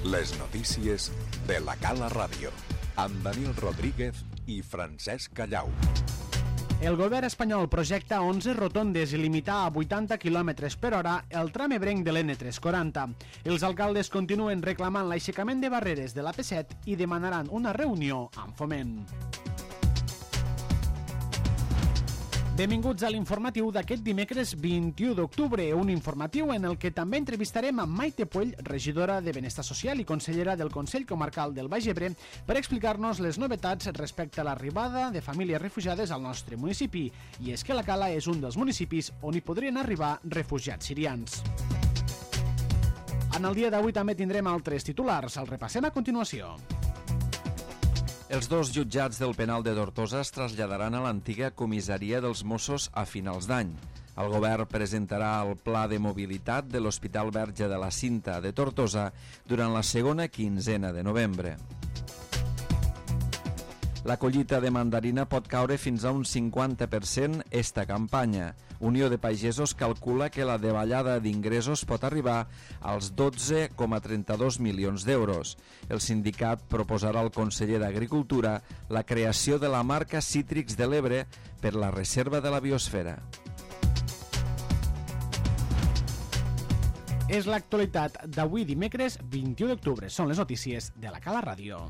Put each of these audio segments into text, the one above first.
Les notícies de la Cala Ràdio, amb Daniel Rodríguez i Francesc Callau. El govern espanyol projecta 11 rotondes i limitar a 80 km per hora el tram ebrenc de l'N340. Els alcaldes continuen reclamant l'aixecament de barreres de l'AP7 i demanaran una reunió amb Foment. Benvinguts a l'informatiu d'aquest dimecres 21 d'octubre, un informatiu en el que també entrevistarem a Maite Puell, regidora de Benestar Social i consellera del Consell Comarcal del Baix Ebre, per explicar-nos les novetats respecte a l'arribada de famílies refugiades al nostre municipi. I és que la Cala és un dels municipis on hi podrien arribar refugiats sirians. En el dia d'avui també tindrem altres titulars, els repassem a continuació. Els dos jutjats del penal de Tortosa es traslladaran a l'antiga comissaria dels Mossos a finals d'any. El govern presentarà el pla de mobilitat de l'Hospital Verge de la Cinta de Tortosa durant la segona quinzena de novembre. La collita de mandarina pot caure fins a un 50% esta campanya. Unió de Pagesos calcula que la davallada d'ingressos pot arribar als 12,32 milions d'euros. El sindicat proposarà al conseller d'Agricultura la creació de la marca Cítrics de l'Ebre per la reserva de la biosfera. És l'actualitat d'avui dimecres 21 d'octubre. Són les notícies de la Cala Ràdio.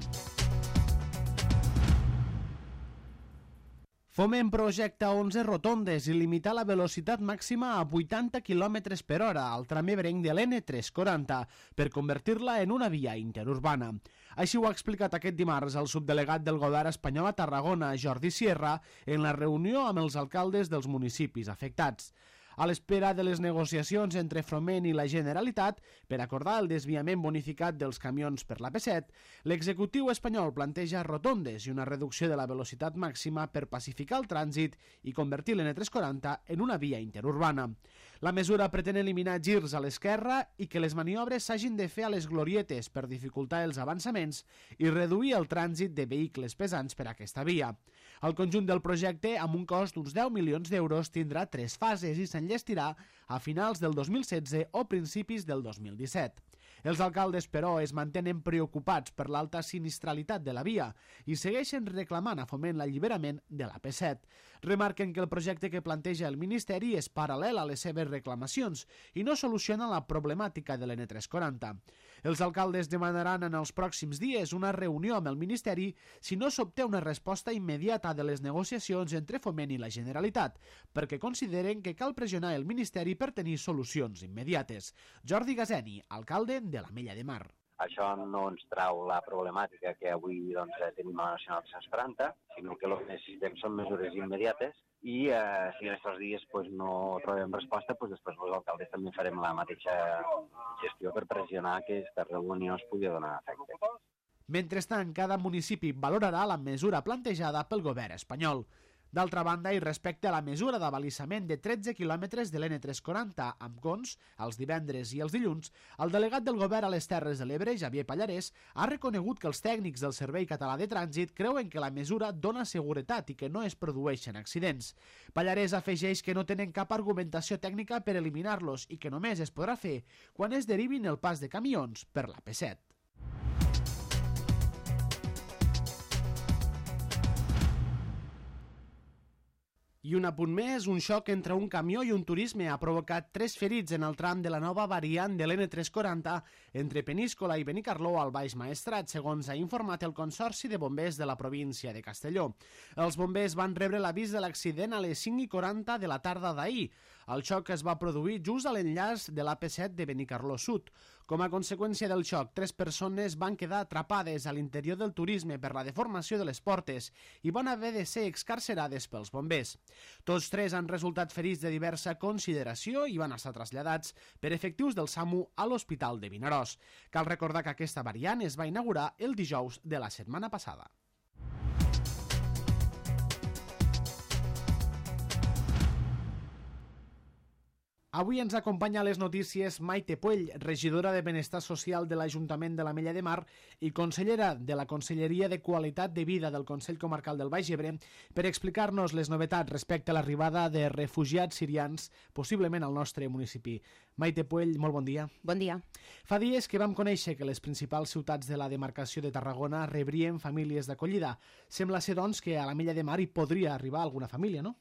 Foment projecta 11 rotondes i limita la velocitat màxima a 80 km per hora al tram ebrenc de l'N340 per convertir-la en una via interurbana. Així ho ha explicat aquest dimarts el subdelegat del govern espanyol a Tarragona, Jordi Sierra, en la reunió amb els alcaldes dels municipis afectats. A l'espera de les negociacions entre Foment i la Generalitat per acordar el desviament bonificat dels camions per l'AP7, l'executiu espanyol planteja rotondes i una reducció de la velocitat màxima per pacificar el trànsit i convertir l'N340 en una via interurbana. La mesura pretén eliminar girs a l'esquerra i que les maniobres s'hagin de fer a les glorietes per dificultar els avançaments i reduir el trànsit de vehicles pesants per aquesta via. El conjunt del projecte, amb un cost d'uns 10 milions d'euros, tindrà 3 fases i s'enllestirà a finals del 2016 o principis del 2017. Els alcaldes, però, es mantenen preocupats per l'alta sinistralitat de la via i segueixen reclamant a Foment l'alliberament de l'AP7. Remarquen que el projecte que planteja el Ministeri és paral·lel a les seves reclamacions i no soluciona la problemàtica de l'N340. Els alcaldes demanaran en els pròxims dies una reunió amb el Ministeri si no s'obté una resposta immediata de les negociacions entre Foment i la Generalitat, perquè consideren que cal pressionar el Ministeri per tenir solucions immediates. Jordi Gazeni, alcalde de l'Ametlla de Mar. Això no ens trau la problemàtica que avui tenim a la Nacional 340, sinó que el que necessitem són mesures immediates i si en aquests dies no trobem resposta, després els alcaldes també farem la mateixa gestió per pressionar que aquesta reunió es pugui donar efecte. Mentrestant, cada municipi valorarà la mesura plantejada pel govern espanyol. D'altra banda, i respecte a la mesura d'abalisament de 13 quilòmetres de l'N340 amb cons, els divendres i els dilluns, el delegat del govern a les Terres de l'Ebre, Javier Pallarès, ha reconegut que els tècnics del Servei Català de Trànsit creuen que la mesura dona seguretat i que no es produeixen accidents. Pallarès afegeix que no tenen cap argumentació tècnica per eliminar-los i que només es podrà fer quan es derivin el pas de camions per l'AP7. I un apunt més, un xoc entre un camió i un turisme ha provocat 3 ferits en el tram de la nova variant de l'N340 entre Peníscola i Benicarló al Baix Maestrat, segons ha informat el Consorci de Bombers de la província de Castelló. Els bombers van rebre l'avís de l'accident a les 5:40 de la tarda d'ahir. El xoc es va produir just a l'enllaç de l'AP7 de Benicarló Sud. Com a conseqüència del xoc, 3 persones van quedar atrapades a l'interior del turisme per la deformació de les portes i van haver de ser excarcerades pels bombers. Tots 3 han resultat ferits de diversa consideració i van estar traslladats per efectius del SAMU a l'Hospital de Vinaròs. Cal recordar que aquesta variant es va inaugurar el dijous de la setmana passada. Avui ens acompanya a les notícies Maite Puell, regidora de Benestar Social de l'Ajuntament de l'Ametlla de Mar i consellera de la Conselleria de Qualitat de Vida del Consell Comarcal del Baix Ebre, per explicar-nos les novetats respecte a l'arribada de refugiats sirians, possiblement al nostre municipi. Maite Puell, molt bon dia. Bon dia. Fa dies que vam conèixer que les principals ciutats de la demarcació de Tarragona rebrien famílies d'acollida. Sembla ser, doncs, que a l'Ametlla de Mar hi podria arribar alguna família, no?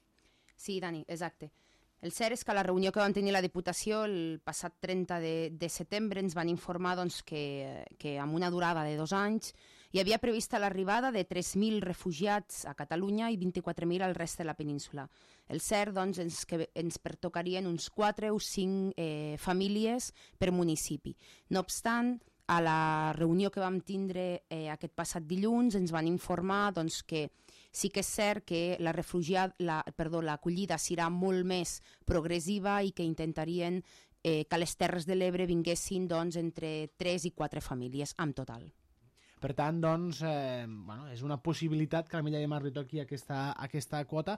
Sí, Dani, exacte. El cert és que a la reunió que vam tenir la Diputació el passat 30 de setembre ens van informar doncs, que amb una durada de 2 anys hi havia prevista l'arribada de 3.000 refugiats a Catalunya i 24.000 al rest de la península. El cert doncs, és que ens pertocarien uns 4 o 5 famílies per municipi. No obstant, a la reunió que vam tindre aquest passat dilluns ens van informar doncs, que sí que és cert que l'acollida serà molt més progressiva i que intentarien que a les Terres de l'Ebre vinguessin doncs, entre 3 i 4 famílies en total. Per tant, doncs, és una possibilitat que a l'Ametlla de Mar li toqui aquesta quota.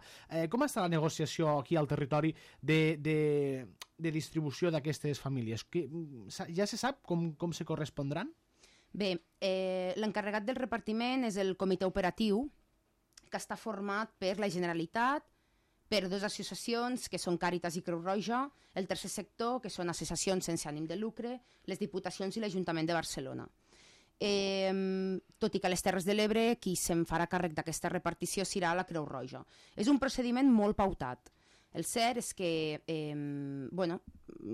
Com està la negociació aquí al territori de distribució d'aquestes famílies? Ja se sap com se correspondran? Bé, l'encarregat del repartiment és el comitè operatiu, que està format per la Generalitat, per 2 associacions, que són Càritas i Creu Roja, el tercer sector, que són associacions sense ànim de lucre, les Diputacions i l'Ajuntament de Barcelona. Tot i que a les Terres de l'Ebre qui se'n farà càrrec d'aquesta repartició serà la Creu Roja. És un procediment molt pautat. El cert és que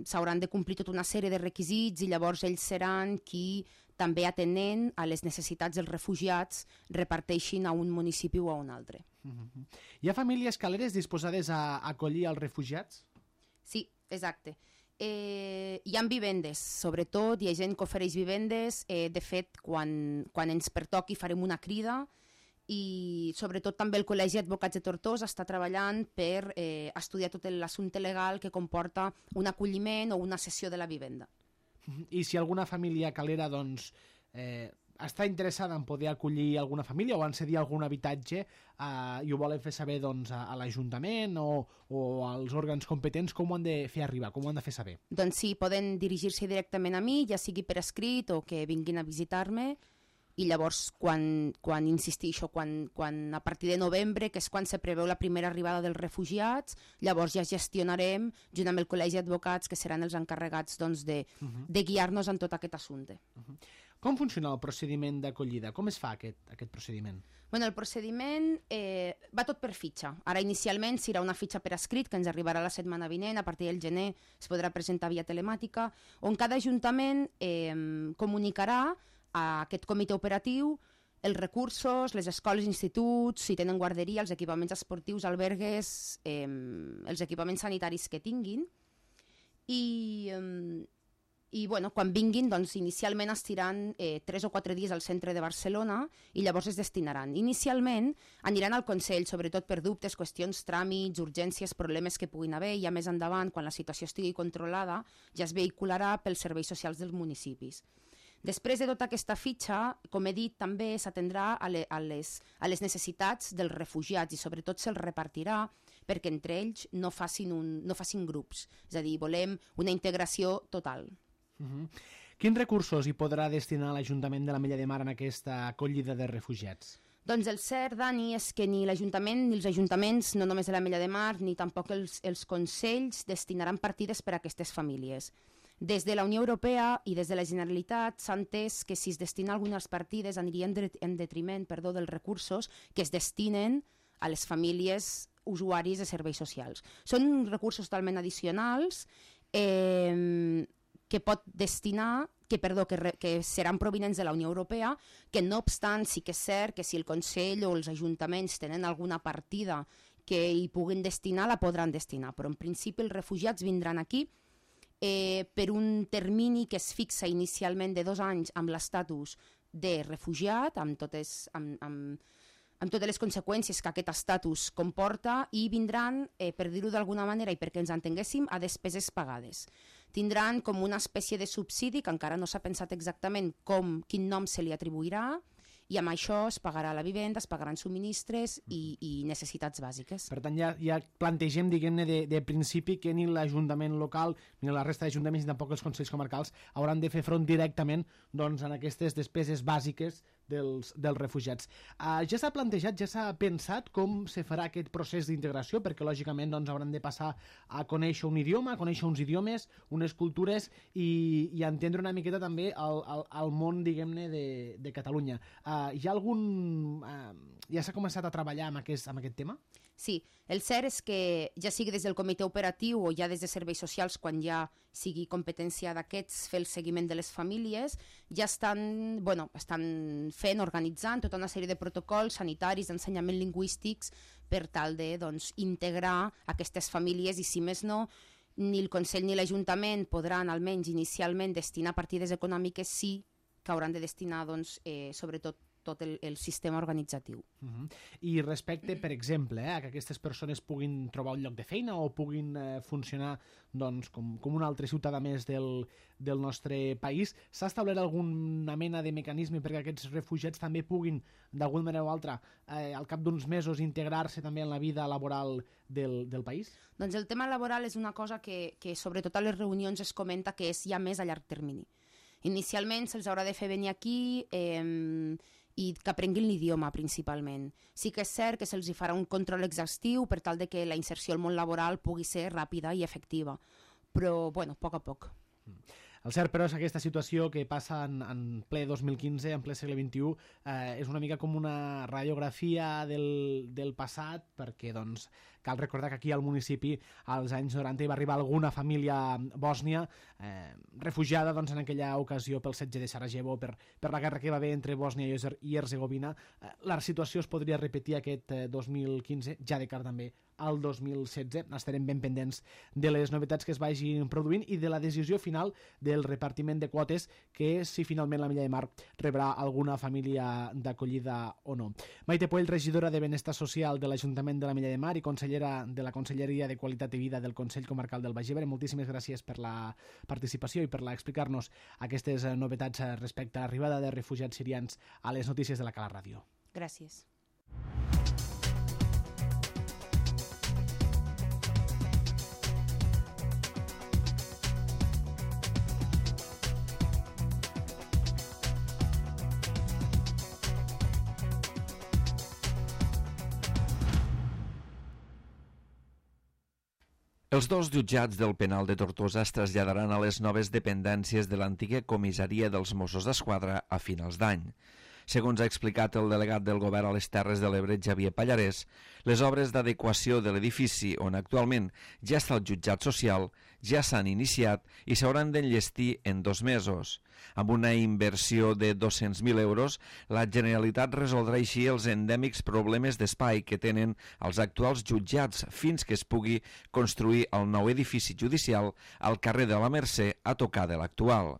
s'hauran de complir tota una sèrie de requisits i llavors ells seran qui, també atenent a les necessitats dels refugiats, reparteixin a un municipi o a un altre. Hi ha famílies caleres disposades a acollir els refugiats? Sí, exacte. Hi ha vivendes, sobretot, hi ha gent que ofereix vivendes. De fet, quan ens pertoqui farem una crida i sobretot també el Col·legi d'Advocats de Tortosa està treballant per estudiar tot l'assumpte legal que comporta un acolliment o una cessió de la vivenda. I si alguna família calera doncs, està interessada en poder acollir alguna família o en cedir algun habitatge i ho volen fer saber doncs, a l'Ajuntament o als òrgans competents, com ho han de fer arribar, com ho han de fer saber? Doncs sí, poden dirigir-se directament a mi, ja sigui per escrit o que vinguin a visitar-me, i llavors quan insistixo, quan a partir de novembre, que és quan se preveu la primera arribada dels refugiats, llavors ja gestionarem, junt amb el Col·legi d'Advocats, que seran els encarregats doncs, de guiar-nos en tot aquest assumpte. Com funciona el procediment d'acollida? Com es fa aquest procediment? El procediment va tot per fitxa. Ara inicialment serà una fitxa per escrit que ens arribarà la setmana vinent, a partir del gener es podrà presentar via telemàtica, on cada ajuntament comunicarà a aquest comitè operatiu els recursos, les escoles i instituts, si tenen guarderia, els equipaments esportius, albergues, els equipaments sanitaris que tinguin. I quan vinguin, doncs, inicialment estiran 3 o 4 dies al centre de Barcelona i llavors es destinaran. Inicialment aniran al Consell, sobretot per dubtes, qüestions, tràmits, urgències, problemes que puguin haver, i ja més endavant, quan la situació estigui controlada, ja es vehicularà pels serveis socials dels municipis. Després de tota aquesta fitxa, com he dit, també s'atendrà a les necessitats dels refugiats i sobretot se'ls repartirà perquè entre ells no facin grups. És a dir, volem una integració total. Quins recursos hi podrà destinar l'Ajuntament de l'Ametlla de Mar en aquesta acollida de refugiats? Doncs el cert, Dani, és que ni l'Ajuntament ni els ajuntaments, no només de l'Ametlla de Mar, ni tampoc els consells destinaran partides per a aquestes famílies. Des de la Unió Europea i des de la Generalitat s'ha entès que si es destinen algunes partides anirien en detriment dels recursos que es destinen a les famílies usuaris de serveis socials. Són recursos totalment addicionals que pot destinar, que seran provinents de la Unió Europea, que no obstant sí que és cert que si el Consell o els ajuntaments tenen alguna partida que hi puguin destinar, la podran destinar. Però en principi els refugiats vindran aquí per un termini que es fixa inicialment de 2 anys amb l'estatus de refugiat, amb totes les conseqüències que aquest estatus comporta, i vindran, per dir-ho d'alguna manera i perquè ens entenguéssim, a despeses pagades. Tindran com una espècie de subsidi que encara no s'ha pensat exactament quin nom se li atribuirà i amb això es pagarà la vivenda, es pagaran subministres i necessitats bàsiques. Per tant, ja plantegem, diguem-ne, de principi que ni l'Ajuntament local ni la resta d'ajuntaments ni tampoc els Consells Comarcals hauran de fer front directament doncs, en aquestes despeses bàsiques dels refugiats. Ja s'ha plantejat, ja s'ha pensat com se farà aquest procés d'integració, perquè lògicament doncs, hauran de passar a conèixer un idioma, a conèixer uns idiomes, unes cultures i a entendre una miqueta també el món, diguem-ne, de Catalunya. Hi ha algun... ja s'ha començat a treballar amb aquest tema? Sí, el cert és que ja sigui des del comitè operatiu o ja des de serveis socials, quan ja sigui competència d'aquests fer el seguiment de les famílies, ja estan fent, organitzant tota una sèrie de protocols sanitaris, d'ensenyament lingüístics per tal de integrar aquestes famílies i, si més no, ni el Consell ni l'Ajuntament podran almenys inicialment destinar partides econòmiques, sí que hauran de destinar sobretot tot el sistema organitzatiu. I respecte, per exemple, a que aquestes persones puguin trobar un lloc de feina o puguin funcionar com un altre ciutadà més del nostre país, s'ha establert alguna mena de mecanisme perquè aquests refugiats també puguin, d'alguna manera o altra, al cap d'uns mesos integrar-se també en la vida laboral del país? Doncs el tema laboral és una cosa que sobretot a les reunions es comenta que és ja més a llarg termini. Inicialment se'ls haurà de fer venir aquí i que aprenguin l'idioma principalment. Sí que és cert que se'ls farà un control exhaustiu per tal de que la inserció al món laboral pugui ser ràpida i efectiva, però a poc a poc. El cert, però, és que aquesta situació que passa en ple 2015, en ple segle XXI, és una mica com una radiografia del passat, perquè cal recordar que aquí al municipi als anys 90 hi va arribar alguna família bòsnia refugiada en aquella ocasió pel setge de Sarajevo, per la guerra que va haver entre Bòsnia i Herzegovina. La situació es podria repetir aquest 2015, ja de cara també al 2016. Estarem ben pendents de les novetats que es vagin produint i de la decisió final del repartiment de quotes, que si finalment la Milla de Mar rebrà alguna família d'acollida o no. Maite Poell, regidora de Benestar Social de l'Ajuntament de la Milla de Mar i consellera de la Conselleria de Qualitat de Vida del Consell Comarcal del Baix Ebre, moltíssimes gràcies per la participació i per explicar-nos aquestes novetats respecte a l'arribada de refugiats sirians a les notícies de la Cala Ràdio. Gràcies. Els dos jutjats del penal de Tortosa es traslladaran a les noves dependències de l'antiga comissaria dels Mossos d'Esquadra a finals d'any. Segons ha explicat el delegat del Govern a les Terres de l'Ebre, Xavier Pallarès, les obres d'adequació de l'edifici on actualment ja està el jutjat social ja s'han iniciat i s'hauran d'enllestir en 2 mesos. Amb una inversió de 200.000 euros, la Generalitat resoldrà així els endèmics problemes d'espai que tenen els actuals jutjats fins que es pugui construir el nou edifici judicial al carrer de la Mercè a tocar de l'actual.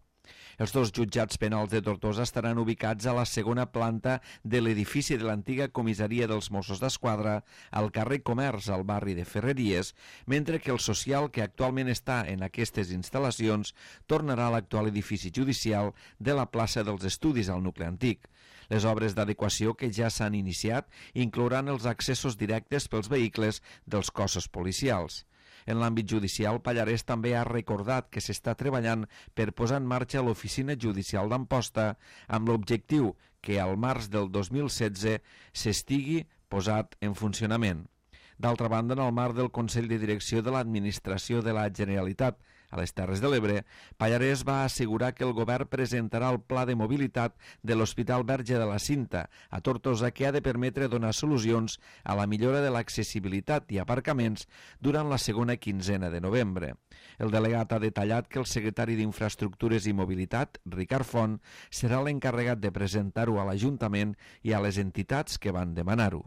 Els dos jutjats penals de Tortosa estaran ubicats a la segona planta de l'edifici de l'antiga comissaria dels Mossos d'Esquadra al carrer Comerç, al barri de Ferreries, mentre que el social que actualment està en aquestes instal·lacions tornarà a l'actual edifici judicial de la plaça dels Estudis al nucli antic. Les obres d'adequació que ja s'han iniciat inclouran els accessos directes pels vehicles dels cossos policials. En l'àmbit judicial, Pallarès també ha recordat que s'està treballant per posar en marxa l'oficina judicial d'Amposta amb l'objectiu que al març del 2016 s'estigui posat en funcionament. D'altra banda, en el marc del Consell de Direcció de l'Administració de la Generalitat a les Terres de l'Ebre, Pallarès va assegurar que el govern presentarà el pla de mobilitat de l'Hospital Verge de la Cinta a Tortosa, que ha de permetre donar solucions a la millora de l'accessibilitat i aparcaments durant la segona quinzena de novembre. El delegat ha detallat que el secretari d'Infraestructures i Mobilitat, Ricard Font, serà l'encarregat de presentar-ho a l'Ajuntament i a les entitats que van demanar-ho.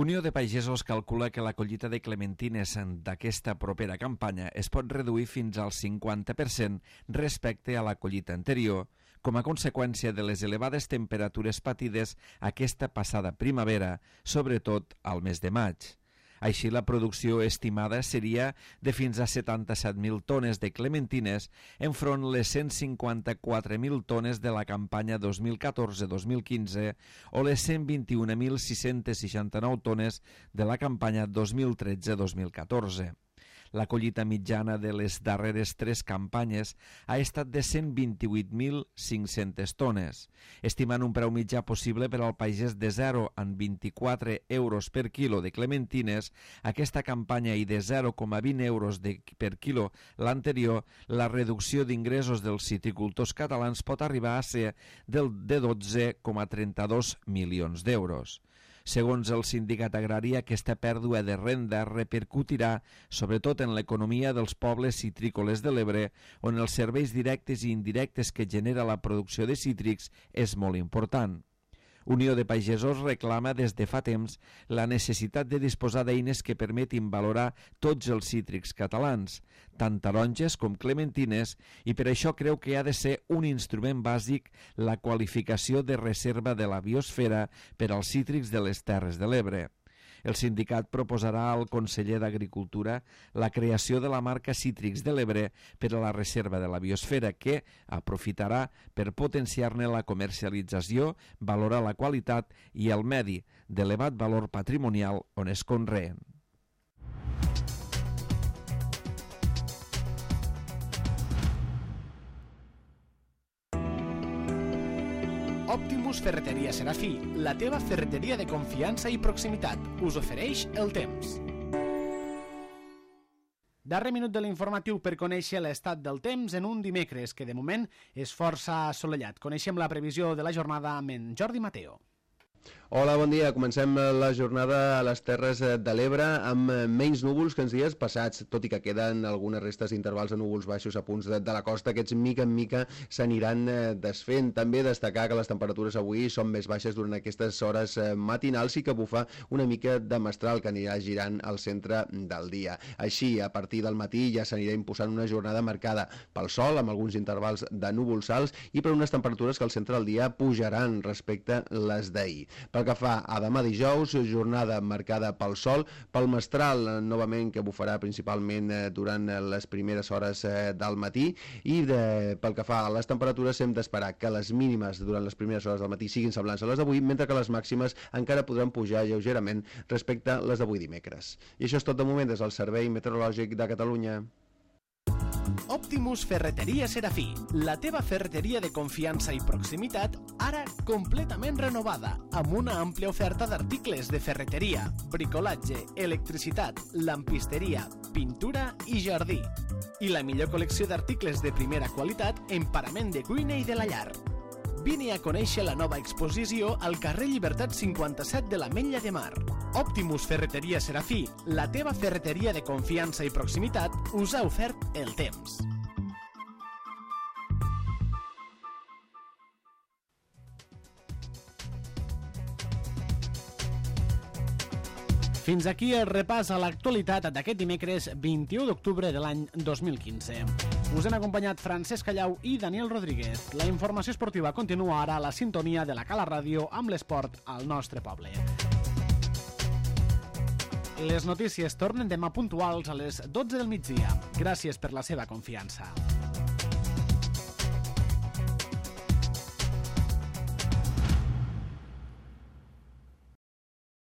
Unió de Pagesos calcula que la collita de clementines d'aquesta propera campanya es pot reduir fins al 50% respecte a la collita anterior, com a conseqüència de les elevades temperatures patides aquesta passada primavera, sobretot al mes de maig. Així, la producció estimada seria de fins a 77.000 tones de clementines enfront les 154.000 tones de la campanya 2014-2015 o les 121.669 tones de la campanya 2013-2014. La collita mitjana de les darreres 3 campanyes ha estat de 128.500 tones, estimant un preu mitjà possible per al pagès de 0 a 24 euros per quilo de clementines aquesta campanya i de 0,20 euros per quilo l'anterior. La reducció d'ingressos dels citricultors catalans pot arribar a ser de 12,32 milions d'euros. Segons el sindicat agrari, aquesta pèrdua de renda repercutirà sobretot en l'economia dels pobles citrícoles de l'Ebre, on els serveis directes i indirectes que genera la producció de cítrics és molt important. Unió de Pagesos reclama des de fa temps la necessitat de disposar d'eines que permetin valorar tots els cítrics catalans, tant taronges com clementines, i per això creu que ha de ser un instrument bàsic la qualificació de reserva de la biosfera per als cítrics de les Terres de l'Ebre. El sindicat proposarà al conseller d'Agricultura la creació de la marca Cítrics de l'Ebre per a la reserva de la biosfera, que aprofitarà per potenciar-ne la comercialització, valorar la qualitat i el medi d'elevat valor patrimonial on es conreen. Optimus Ferreteria Serafí, la teva ferreteria de confiança i proximitat, us ofereix el temps. Darrer minut de l'informatiu per conèixer l'estat del temps en un dimecres que de moment és força assolellat. Coneixem la previsió de la jornada amb en Jordi Mateo. Hola, bon dia. Comencem la jornada a les Terres de l'Ebre amb menys núvols que els dies passats, tot i que queden algunes restes d'intervals de núvols baixos a punts de la costa. Aquests mica en mica s'aniran desfent. També destacar que les temperatures avui són més baixes durant aquestes hores matinals i que bufa una mica de mestral que anirà girant al centre del dia. Així, a partir del matí ja s'anirà imposant una jornada marcada pel sol, amb alguns intervals de núvols alts i per unes temperatures que al centre del dia pujaran respecte les d'ahir. Pel que fa a demà dijous, jornada marcada pel sol, pel mestral novament que bufarà principalment durant les primeres hores del matí i pel que fa a les temperatures hem d'esperar que les mínimes durant les primeres hores del matí siguin semblants a les d'avui, mentre que les màximes encara podran pujar lleugerament respecte a les d'avui dimecres. I això és tot de moment des del Servei Meteorològic de Catalunya. Optimus Ferreteria Serafí, la teva ferreteria de confiança i proximitat, ara completament renovada, amb una àmplia oferta d'articles de ferreteria, bricolatge, electricitat, lampisteria, pintura i jardí. I la millor col·lecció d'articles de primera qualitat en parament de cuina i de la llar. Vine a conèixer la nova exposició al carrer Llibertat 57 de l'Ametlla de Mar. Optimus Ferreteria Serafí, la teva ferreteria de confiança i proximitat, us ha ofert el temps. Fins aquí el repàs a l'actualitat d'aquest dimecres 21 d'octubre de l'any 2015. Us han acompanyat Francesc Callau i Daniel Rodríguez. La informació esportiva continua ara a la sintonia de la Cala Ràdio amb l'esport al nostre poble. Les notícies tornen demà puntuals a les 12 del migdia. Gràcies per la seva confiança.